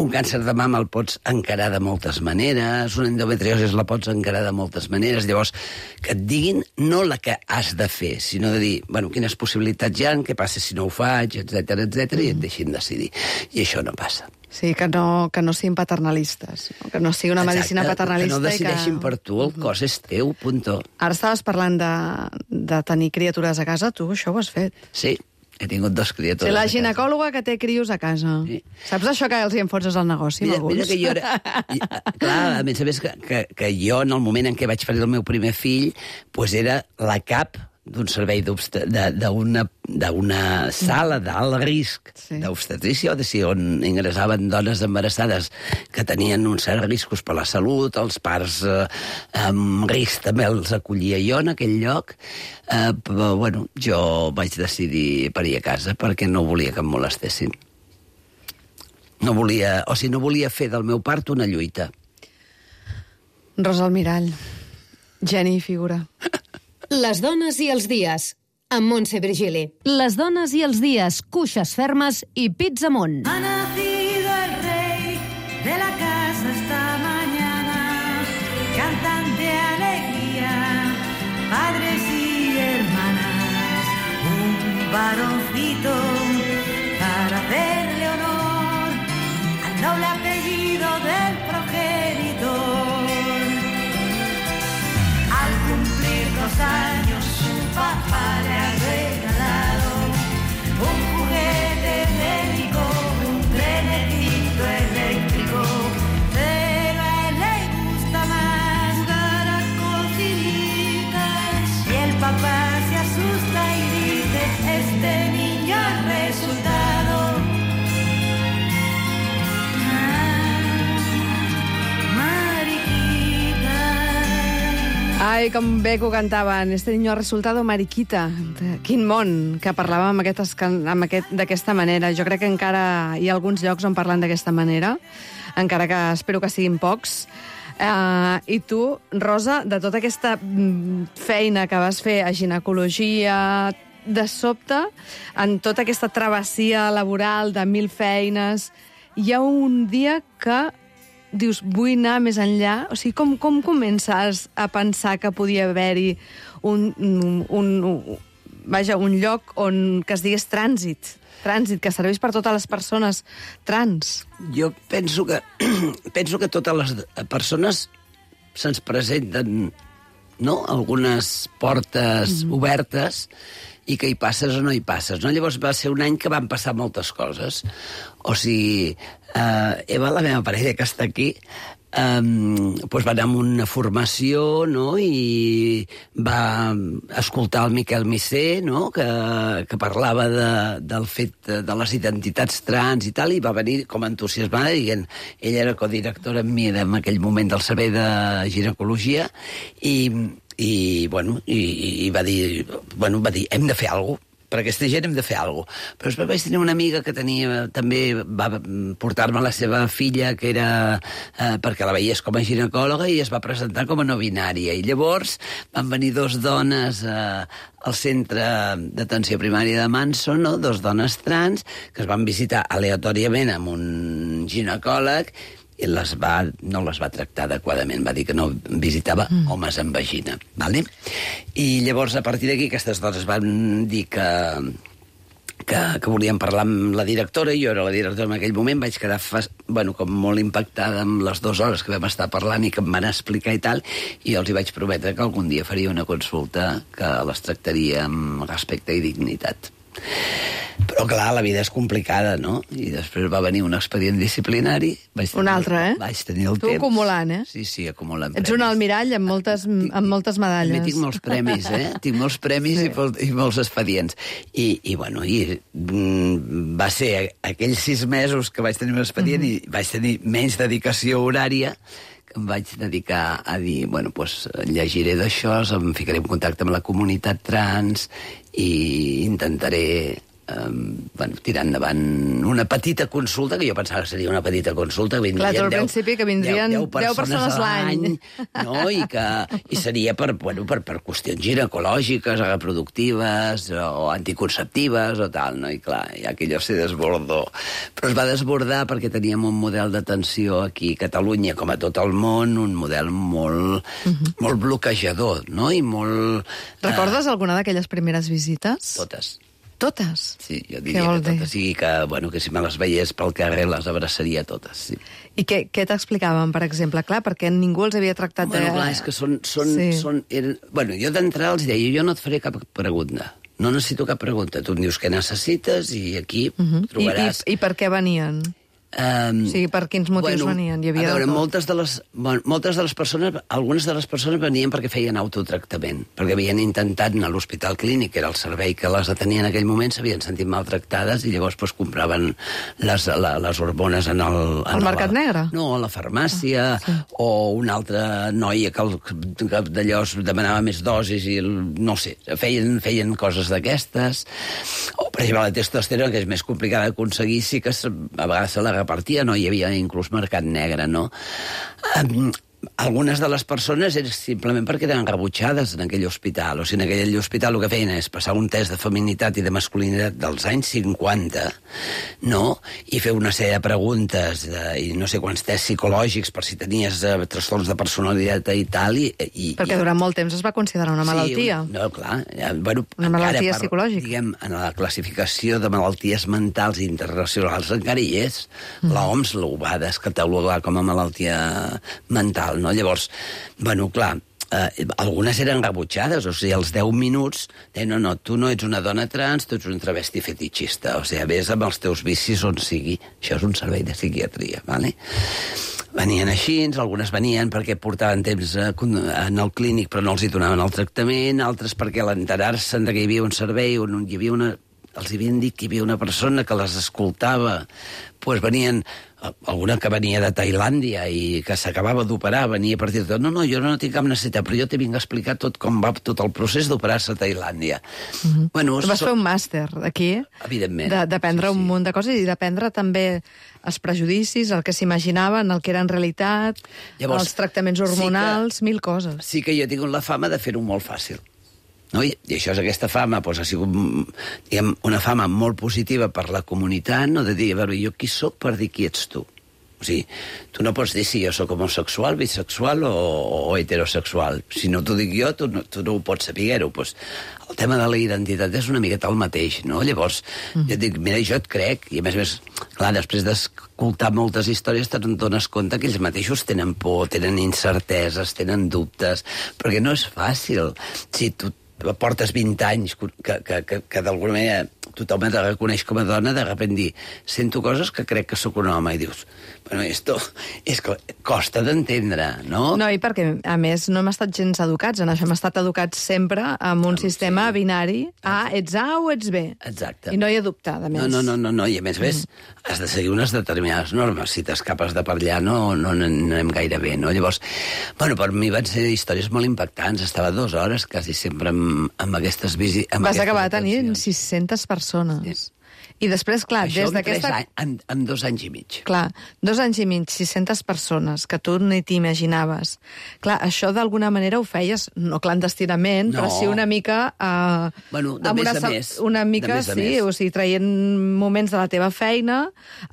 un càncer de mama el pots encarar de moltes maneres, una endometriosi la pots encarar de moltes maneres. Llavors, que et diguin no la que has de fer, sinó de dir, bueno, quines possibilitats hi ha, què passa si no ho faig, etc i et deixin decidir. I això no passa. Sí, que no siguin paternalistes, que no sigui una medicina paternalista. Que no decideixin per tu, el cos és teu, punto. Ara estaves parlant de tenir criatures a casa, tu això ho has fet. Sí. He tingut 2 criatures. Sí, la ginecòloga que té crios a casa. Sí. Saps això que els hi enfonses al negoci, alguns? Mira que jo era... Clar, a més que jo, en el moment en què vaig parir el meu primer fill, doncs era la cap d'un servei d'una sala d'alt risc d'obstetrícia, on ingressaven dones embarassades que tenien uns certs riscos per la salut, els parts amb risc també els acollia jo en aquell lloc, però, bueno, jo vaig decidir parir a casa perquè no volia que em molestessin. No volia fer del meu part una lluita. Rosa Almirall, geni i figura. Les dones i els dies, amb Montse Virgili. Les dones i els dies, cuixes fermes i pits amunt. Ha nacido el rey de la casa esta mañana, cantan de alegría, padres y hermanas, un varoncito para hacerle honor al noble apellido del progenitor. Al cumplir 2 años su papá le ha regalado un juguete médico, un trenecito eléctrico, pero a él le gusta más jugar a cocinitas. Y el papá se asusta y dice, este niño Ai, com bé que ho cantaven. Este niño ha resultado mariquita. Quin món, que parlàvem d'aquesta manera. Jo crec que encara hi ha alguns llocs on parlen d'aquesta manera, encara que espero que siguin pocs. I tu, Rosa, de tota aquesta feina que vas fer a ginecologia, de sobte, en tota aquesta travessia laboral de 1000 feines, hi ha un dia que dius, vull anar més enllà? O sigui, com comences a pensar que podia haver-hi un lloc on que es digués trànsit, que serveix per totes les persones trans? Jo penso que totes les persones se'ns presenten, no?, algunes portes obertes i que hi passes o no hi passes, no? Llavors va ser un any que van passar moltes coses. O sigui, Eva, la meva parella que està aquí, doncs va anar a una formació, no?, i va escoltar el Miquel Missé, no?, que parlava del fet de les identitats trans i tal, i va venir com entusiasmada dient, ella era codirectora amb mi en aquell moment del servei de ginecologia, i va dir, hem de fer alguna cosa. Per aquesta gent hem de fer alguna cosa. Però després vaig tenir una amiga que també va portar-me la seva filla, que era perquè la veiés com a ginecòloga, i es va presentar com a no binària. I llavors van venir 2 dones al centre d'atenció primària de Manson, no?, 2 dones trans, que es van visitar aleatòriament amb un ginecòleg, i no les va tractar adequadament, va dir que no visitava homes amb vagina. Vale? I llavors, a partir d'aquí, aquestes dones van dir que volien parlar amb la directora, i jo era la directora en aquell moment, vaig quedar com molt impactada amb les 2 hores que vam estar parlant i que em van explicar i tal, i jo els hi vaig prometre que algun dia faria una consulta que les tractaria amb respecte i dignitat. Però, clar, la vida és complicada, no? I després va venir un expedient disciplinari. Un altre, eh? Vaig tenir el temps. Tu acumulant, eh? Sí, acumulant premis. Ets un almirall amb moltes medalles. També tinc molts premis, eh? Tinc molts premis i molts expedients. I va ser aquells 6 mesos que vaig tenir un expedient i vaig tenir menys dedicació horària, que em vaig dedicar a dir, llegiré d'això, em ficaré en contacte amb la comunitat trans i intentaré tirar endavant una petita consulta, que jo pensava que seria una petita consulta, que vindrien 10 persones l'any, no? I seria per qüestions ginecològiques, reproductives o anticonceptives o tal, no? I clar, ja aquello se desbordó. Però es va desbordar perquè teníem un model d'atenció aquí a Catalunya, com a tot el món, un model molt bloquejador, no? I molt... Recordes alguna d'aquelles primeres visites? Totes? Sí, jo diria que totes. I que si me les veiés pel carrer les abraçaria totes, sí. I què t'explicaven, per exemple? Clar, perquè ningú els havia tractat de... Clar, és que jo d'entrada els deia, jo no et faré cap pregunta. No necessito cap pregunta. Tu em dius què necessites i aquí trobaràs... I per què venien? Per quins motius venien? Hi havia moltes de les persones, algunes de les persones venien perquè feien autotractament, perquè havien intentat anar a l'Hospital Clínic, que era el servei que les atenia en aquell moment, s'havien sentit maltractades i llavors compraven les hormones en el... Al mercat negre? No, a la farmàcia, o una altra noia que d'allò demanava més dosis i no sé, feien coses d'aquestes. O, per exemple, la testosterona, que és més complicada d'aconseguir, sí que a vegades se la repartia, no? Hi havia inclús mercat negre, no? Algunes de les persones eren simplement perquè eren rebutjades en aquell hospital. O sigui, en aquell hospital el que feien és passar un test de feminitat i de masculinitat dels anys 50, no? I fer una sèrie de preguntes i no sé quants tests psicològics per si tenies trastorns de personalitat i tal. Perquè durant molt temps es va considerar una malaltia. Sí, clar. Una malaltia psicològica. Diguem, en la classificació de malalties mentals internacionals encara hi és. L'OMS ho va descatalogar com a malaltia mental. No? Llavors, clar, algunes eren rebutjades, o sigui, als 10 minuts deien, no, tu no ets una dona trans, tu ets un travesti fetitxista, o sigui, vés amb els teus vicis on sigui. Això és un servei de psiquiatria, ¿vale? Venien així, algunes venien perquè portaven temps en el clínic però no els hi donaven el tractament, altres perquè a l'enterar-se que hi havia un servei on hi havia els havien dit que hi havia una persona que les escoltava, doncs venien alguna que venia de Tailàndia i que s'acabava d'operar, venia a partir de tot. No, jo no tinc cap necessitat, però jo t'he vingut a explicar tot com va tot el procés d'operar-se a Tailàndia. Bueno, Vas fer un màster aquí, evidentment. D'aprendre un munt de coses i d'aprendre també els prejudicis, el que s'imaginaven, el que era en realitat, Llavors, els tractaments hormonals, mil coses. Sí que jo he tingut la fama de fer-ho molt fàcil. No? I això és aquesta fama, doncs, ha sigut diguem, una fama molt positiva per la comunitat, no? De dir, a veure, jo qui sóc per dir qui ets tu? O sigui, tu no pots dir si jo sóc homosexual, bisexual o heterosexual. Si no t'ho dic jo, tu no ho pots saber-ho. Pues, el tema de la identitat és una miqueta el mateix, no? Llavors, jo dic, mira, jo et crec, i a més, clar, després d'escoltar moltes històries te'n dones compte que ells mateixos tenen por, tenen incerteses, tenen dubtes, perquè no és fàcil. Si tu portes 20 anys que d'alguna manera tothom et reconeix com a dona, de sobte dir, sento coses que crec que sóc un home, i dius, bueno, esto és que costa d'entendre, no? No, i perquè, a més, no hem estat gens educats en això, hem estat educats sempre amb un sistema binari, ets A o ets B. Exacte. I no hi ha dubte, a més. No, i a més, has de seguir unes determinades normes. Si t'escapes de per allà no anem gaire bé, no? Llavors, bueno, per mi van ser històries molt impactants. Estava 2 hores, quasi sempre amb aquestes visites. Vas acabar tenint 600 persones. Sí. I després, clar, això des d'aquesta... en 2 anys i mig. Clar, 2 anys i mig, 600 persones, que tu ni t'imaginaves. Clar, això d'alguna manera ho feies, no clandestinament, però sí una mica... Bueno, de més a més. Una mica, sí, o sigui, traient moments de la teva feina,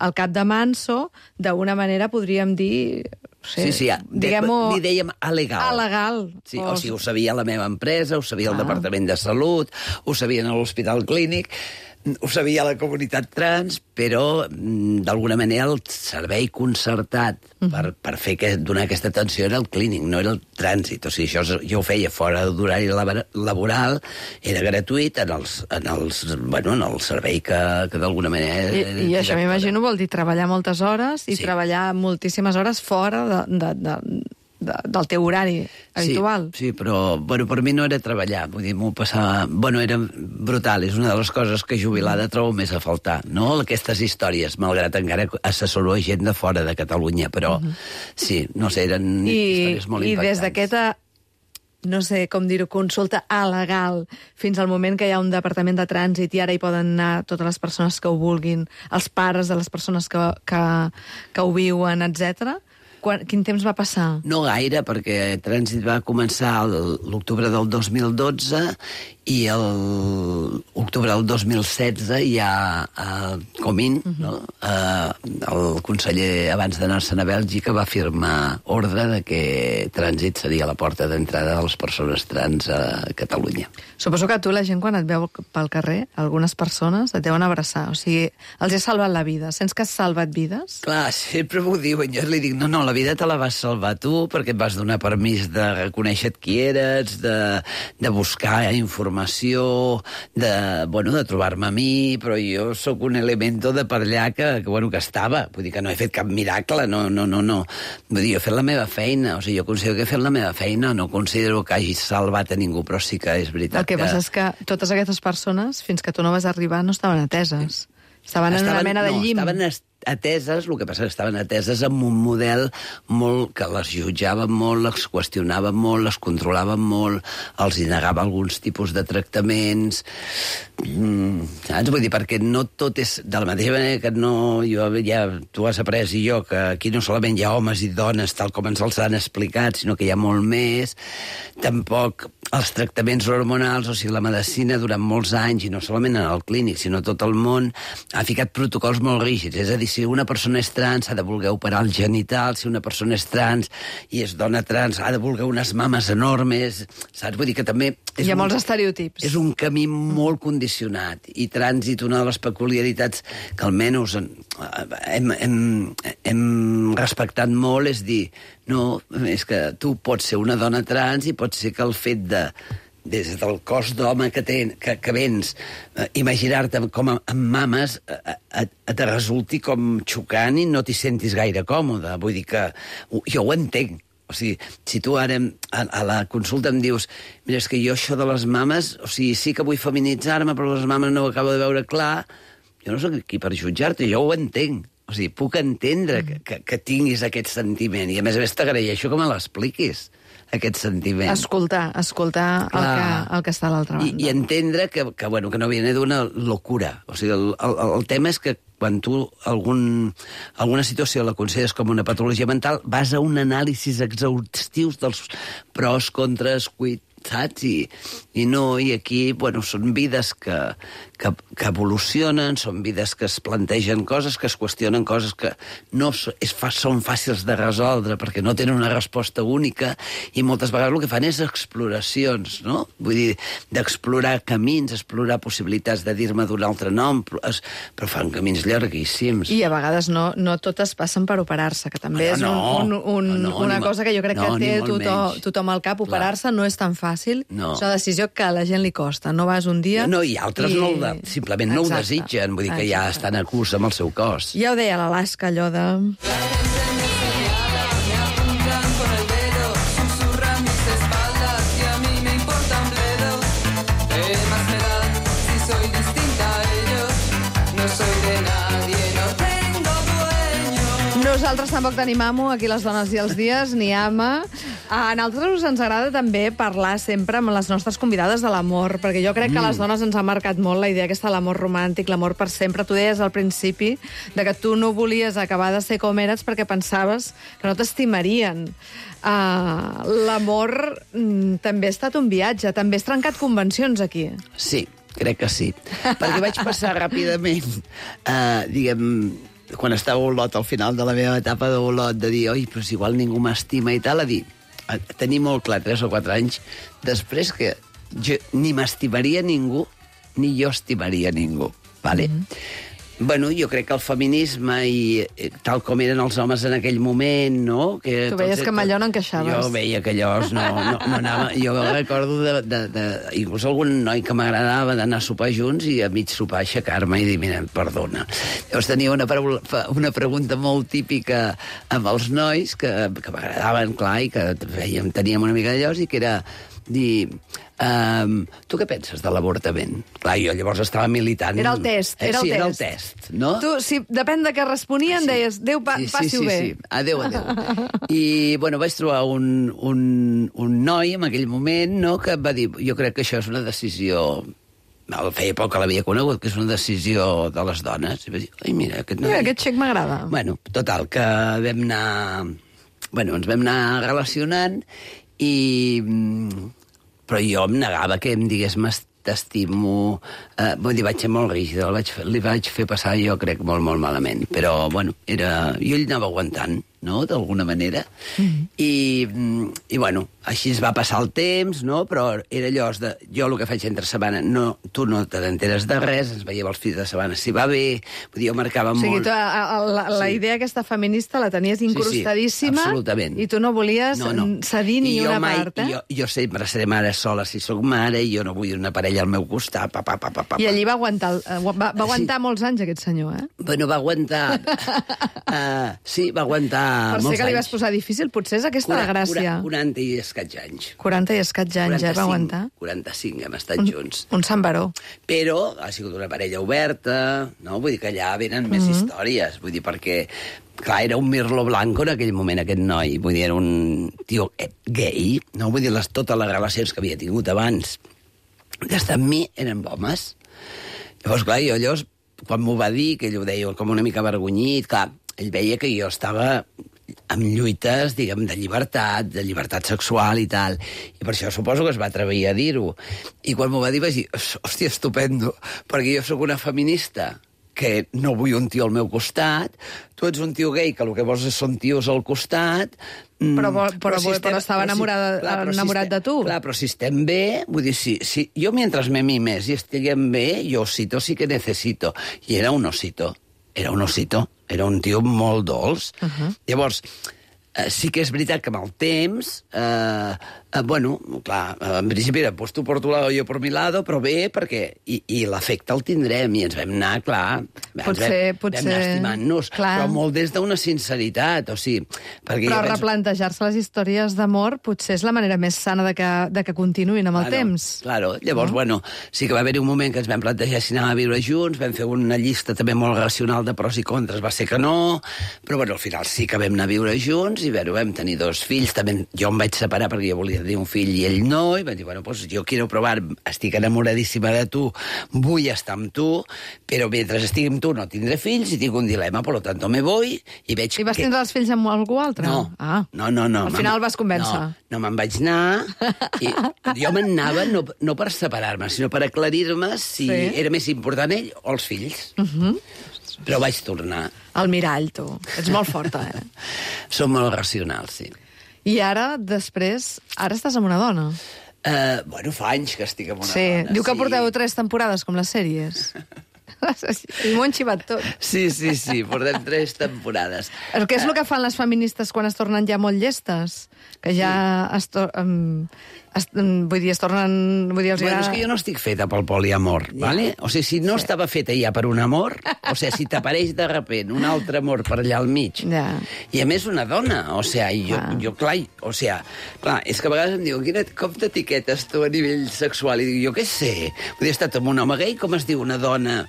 al cap de manso, d'alguna manera podríem dir... Sí, li dèiem alegal. Alegal. Sí, o sigui, ho sabia la meva empresa, ho sabia el Departament de Salut, ho sabien a l'Hospital Clínic, ho sabia la comunitat trans, però d'alguna manera el servei concertat per donar aquesta atenció era el clínic, no era el trànsit. O sigui, això jo ho feia fora d'horari laboral, era gratuït en el servei que d'alguna manera... I això m'imagino vol dir treballar moltes hores i treballar moltíssimes hores fora del teu horari habitual. Sí, però per mi no era treballar, vull dir, m'ho passava... era brutal, és una de les coses que jubilada trobo més a faltar, no? Aquestes històries, malgrat encara assessoro gent de fora de Catalunya, però sí, no sé, eren històries molt impactants. I des d'aquesta, no sé com dir-ho, consulta legal, fins al moment que hi ha un departament de trànsit i ara hi poden anar totes les persones que ho vulguin, els pares de les persones que ho viuen, etc. Quin temps va passar? No gaire, perquè Trànsit va començar l'octubre del 2012 i l'octubre del 2016 ja Comín, el conseller, abans d'anar-se'n a Bèlgica, va firmar ordre de que Trànsit seria la porta d'entrada de les persones trans a Catalunya. Suposo que tu, la gent, quan et veu pel carrer, algunes persones et deuen abraçar. O sigui, els has salvat la vida. Sents que has salvat vides? Clar, sempre m'ho diuen. Jo li dic, no, la vida te la vas salvar tu, perquè et vas donar permís de reconèixer qui eres, de buscar informació, de trobar-me a mi, però jo sóc un elemento de per allà que estava. Vull dir que no he fet cap miracle, no. Vull dir, jo he fet la meva feina, o sigui, jo considero que he fet la meva feina, no considero que hagi salvat a ningú, però sí que és veritat. El que passa és que totes aquestes persones, fins que tu no vas arribar, no estaven ateses. Estaven en una mena de llim. Estaven ateses, el que passa és que estaven ateses amb un model molt que les jutjava molt, les qüestionava molt, les controlava molt, els negava alguns tipus de tractaments, saps? Vull dir, perquè no tot és de la mateixa manera que tu has après i jo, que aquí no solament hi ha homes i dones tal com ens els han explicat, sinó que hi ha molt més. Tampoc els tractaments hormonals, o sigui, la medicina durant molts anys, i no solament en el clínic, sinó tot el món, ha ficat protocols molt rígids. És a dir, si una persona és trans, ha de voler operar el genital, si una persona és trans i és dona trans, ha de voler unes mames enormes, saps? Vull dir que també... Hi ha molts estereotips. És un camí molt condicionat, i Trànsit, una de les peculiaritats que almenys hem respectat molt, és dir, no, és que tu pots ser una dona trans i pot ser que el fet des del cos d'home que vens, imaginar-te com amb mames et resulti com xocant i no t'hi sentis gaire còmode. Vull dir que jo ho entenc. O sigui, si tu ara a la consulta em dius, mira, és que jo això de les mames, o sigui, sí que vull feminitzar-me, però les mames no ho acabo de veure clar, jo no soc aquí per jutjar-te, jo ho entenc. O sigui, puc entendre que tinguis aquest sentiment. I a més t'agraeixo que me l'expliquis, aquest sentiment. Escoltar el que està a l'altra banda. I entendre que no viene d'una locura. O sigui, el tema és que quan tu alguna situació la consideres com una patologia mental, vas a un anàlisi exhaustiu dels pros, contres, saps? I no, i aquí, són vides que evolucionen, són vides que es plantegen coses, que es qüestionen coses que no són fàcils de resoldre perquè no tenen una resposta única, i moltes vegades el que fan és exploracions, no? Vull dir, d'explorar camins, explorar possibilitats de dir-me d'un altre nom, però fan camins llarguíssims. I a vegades no totes passen per operar-se, que també és una cosa que jo crec que té tothom al cap. Operar-se no és tan fàcil, és una decisió que a la gent li costa. No vas un dia... No, i altres simplement no ho desitgen, vull dir que ja estan a curs amb el seu cos. Ja ho deia l'Alaska, allò de... Nosaltres tampoc tenim amo, aquí les dones i els dies, ni ama. A nosaltres ens agrada també parlar sempre amb les nostres convidades de l'amor, perquè jo crec que a les dones ens ha marcat molt la idea aquesta de l'amor romàntic, l'amor per sempre. Tu deies al principi de que tu no volies acabar de ser com eres perquè pensaves que no t'estimarien. L'amor també ha estat un viatge, també has trencat convencions aquí. Sí, crec que sí. Perquè vaig passar ràpidament, quan estava a Olot, al final de la meva etapa d'Olot, de dir, oi, però si igual ningú m'estima i tal, a dir, tenir molt clar 3 o 4 anys després que jo ni m'estimaria ningú, ni jo estimaria ningú, vale? Bueno, jo crec que el feminisme i tal com eren els homes en aquell moment, no? Que tu veies que amb allò no encaixaves. Jo veia que allò no anava... Jo recordo inclús algun noi que m'agradava d'anar a sopar junts i a mig sopar aixecar-me i dir, mira, perdona. Llavors tenia una pregunta molt típica amb els nois que m'agradaven, clar, i que teníem una mica d'allò, i que era dir... tu què penses de l'avortament? Clar, jo llavors estava militant... Era el test, era el test. Sí, era el test, no? Tu, si depèn de què responien, deies, Déu, passi-ho bé. Sí, adéu. I, vaig trobar un noi en aquell moment, no?, que va dir, jo crec que això és una decisió... Feia poc que l'havia conegut, que és una decisió de les dones. I va dir, ai, mira, aquest noi... Mira, aquest xic m'agrada. Bueno, total, que vam anar... ens vam anar relacionant i... Però jo em negava que em digués t'estimo... Vull dir, vaig ser molt rígida, li vaig fer passar, jo crec, molt, molt malament. Però, jo ell anava aguantant, no?, d'alguna manera. I, així es va passar el temps, no?, però era allò de... Jo el que faig entre setmana, tu no te n'enteres de res, ens veiem els fills de setmana si va bé, vull dir, jo marcava molt... O sigui, la idea aquesta feminista la tenies incrustadíssima, absolutament. I tu no volies cedir ni una part, eh? Jo sempre seré mare sola si sóc mare, i jo no vull una parella al meu costat, I allí va aguantar molts anys, aquest senyor, eh? Bueno, va aguantar... Sí, va aguantar per molts ser que li vas anys. posar difícil, potser és aquesta la gràcia. 40 i escaig anys. 40 i escaig anys, va aguantar. 45 hem estat junts. Un sant baró. Però ha sigut una parella oberta, no? Vull dir que allà venen més històries, vull dir, perquè... Clar, era un Mirlo Blanco en aquell moment, aquest noi. Vull dir, era un tio gay, no? Vull dir, totes les relacions que havia tingut abans d'estar amb mi eren homes. Llavors, clar, jo llavors, quan m'ho va dir, que ell ho deia com una mica avergonyit, clar, ell veia que jo estava amb lluites, diguem, de llibertat sexual i tal. I per això suposo que es va atrevir a dir-ho. I quan m'ho va dir vaig dir, hòstia, estupendo, perquè jo sóc una feminista que no vull un tio al meu costat, tu ets un tio gay que el que vols són tios al costat... Però estava enamorat de tu. Clar, però si estem bé, vull dir, si jo mentre me mimes i estiguem bé, jo osito sí que necesito. I era un osito, era un tio molt dolç. Llavors, sí que és veritat que amb el temps Bueno, clar, en principi era pues tu por tu lado, jo por mi lado, però bé, perquè... I l'efecte el tindrem, i ens vam anar, clar... Potser... Vam anar estimant-nos, però molt des d'una sinceritat, o sigui... Però replantejar-se les històries d'amor potser és la manera més sana de que continuïn amb el temps. Claro, llavors, bueno, sí que va haver-hi un moment que ens vam plantejar si anàvem a viure junts, vam fer una llista també molt racional de pros i contres, va ser que no, però bueno, al final sí que vam anar a viure junts, i bueno, vam tenir 2 fills, també jo em vaig separar perquè jo volia tenir un fill i ell no, i vaig dir, bueno, pues jo quiero provar, estic enamoradíssima de tu, vull estar amb tu, però mentre estic amb tu no tindré fills i tinc un dilema, per tant me voy i veig que... I vas tindre els fills amb algú altre? No, no. Al final vas convèncer. No me'n vaig anar, i jo me'n anava no per separar-me, sinó per aclarir-me si era més important ell o els fills. Però vaig tornar. El mirall, tu. Ets molt forta, Som molt racionals, sí. I ara, després, ara estàs amb una dona. Bueno, fa anys que estic amb una dona. Sí, diu que porteu 3 temporades, com les sèries. I m'ho han xivat tot. Sí, portem 3 temporades. Què és el que fan les feministes quan es tornen ja molt llestes? Que ja es tornen... Bueno, és que jo no estic feta pel poliamor, ¿vale? O sigui, si no estava feta ja per un amor, o sigui, si t'apareix de repent un altre amor per allà al mig, i a més una dona, o sigui, jo clar, és que a vegades em diuen, com t'etiquetes tu a nivell sexual? I dic, jo què sé, he estat amb un home gay, com es diu una dona...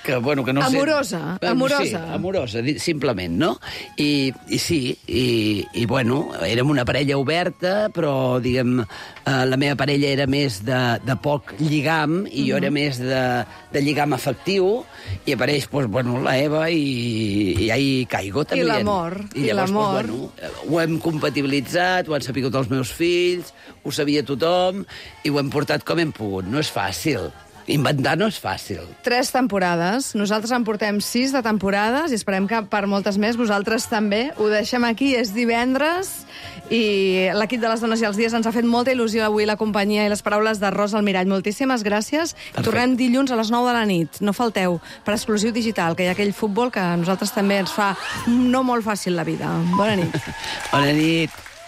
Que, bueno, que no amorosa, sé... amorosa. Sí, amorosa, simplement, no? I sí, i bueno, érem una parella oberta, però, diguem, la meva parella era més de poc lligam, i jo era més de lligam afectiu, i apareix, doncs, bueno, la Eva, i ja hi caigo, també. I l'amor. I llavors, doncs, bueno, ho hem compatibilitzat, ho han sapigut els meus fills, ho sabia tothom, i ho hem portat com hem pogut. No és fàcil. Inventar no és fàcil. 3 temporades. Nosaltres en portem 6 de temporades i esperem que per moltes més vosaltres també. Ho deixem aquí, és divendres i l'equip de les Dones i els Dies ens ha fet molta il·lusió avui la companyia i les paraules de Rosa Almirall. Moltíssimes gràcies. Tornem dilluns a les 9 de la nit. No falteu, per Exclusiu Digital, que hi ha aquell futbol que a nosaltres també ens fa no molt fàcil la vida. Bona nit. Bona nit.